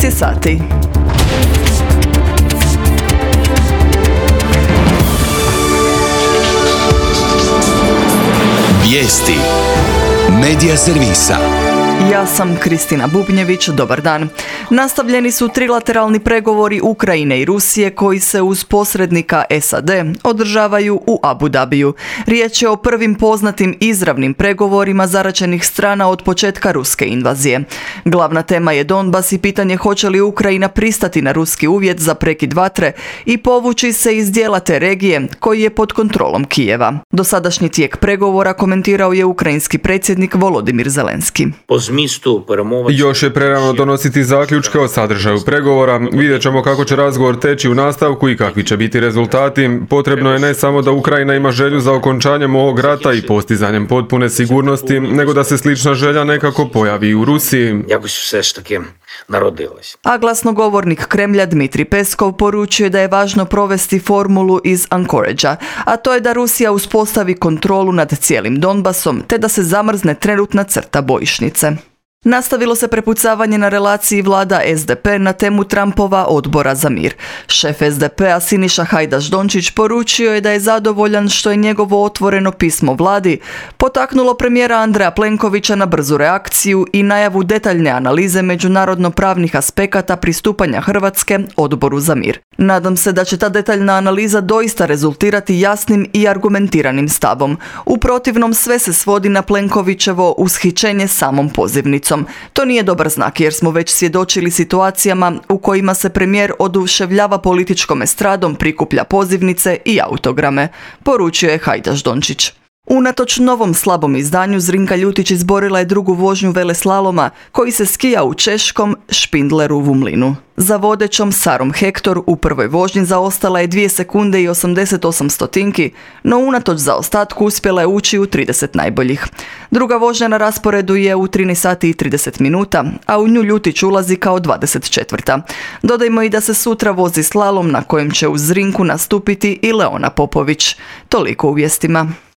je sati. Vijesti Medija servisa. Ja sam Kristina Bubnjević, dobar dan. Nastavljeni su trilateralni pregovori Ukrajine i Rusije koji se uz posrednika SAD održavaju u Abu Dhabiju. Riječ je o prvim poznatim izravnim pregovorima zaračenih strana od početka ruske invazije. Glavna tema je Donbas i pitanje hoće li Ukrajina pristati na ruski uvjet za prekid vatre i povući se iz dijela te regije koji je pod kontrolom Kijeva. Dosadašnji tijek pregovora komentirao je ukrajinski predsjednik Volodimir Zelenski. Još je prerano donositi zaključke o sadržaju pregovora. Vidjet ćemo kako će razgovor teći u nastavku i kakvi će biti rezultati. Potrebno je ne samo da Ukrajina ima želju za okončanjem ovog rata i postizanjem potpune sigurnosti, nego da se slična želja nekako pojavi i u Rusiji. A glasnogovornik Kremlja Dmitrij Peskov poručuje da je važno provesti formulu iz Anchoragea, a to je da Rusija uspostavi kontrolu nad cijelim Donbasom te da se zamrzne trenutna crta bojišnice. Nastavilo se prepucavanje na relaciji vlada SDP na temu Trumpova odbora za mir. Šef SDP-a Siniša Hajdaš-Dončić poručio je da je zadovoljan što je njegovo otvoreno pismo vladi potaknulo premijera Andreja Plenkovića na brzu reakciju i najavu detaljne analize međunarodno-pravnih aspekata pristupanja Hrvatske odboru za mir. Nadam se da će ta detaljna analiza doista rezultirati jasnim i argumentiranim stavom. U protivnom sve se svodi na Plenkovićevo ushićenje samom pozivnicom. To nije dobar znak jer smo već svjedočili situacijama u kojima se premijer oduševljava političkom estradom, prikuplja pozivnice i autograme, poručio je Hajdaš-Dončić. Unatoč novom slabom izdanju, Zrinka Ljutić izborila je drugu vožnju veleslaloma koji se skija u češkom Špindleru u Mlinu. Za vodećom Sarom Hektor u prvoj vožnji zaostala je 2 sekunde i 88 stotinki, no unatoč zaostatku uspjela je ući u 30 najboljih. Druga vožnja na rasporedu je u 13 sati i 30 minuta, a u nju Ljutić ulazi kao 24. Dodajmo i da se sutra vozi slalom na kojem će uz Zrinku nastupiti i Leona Popović. Toliko u vijestima.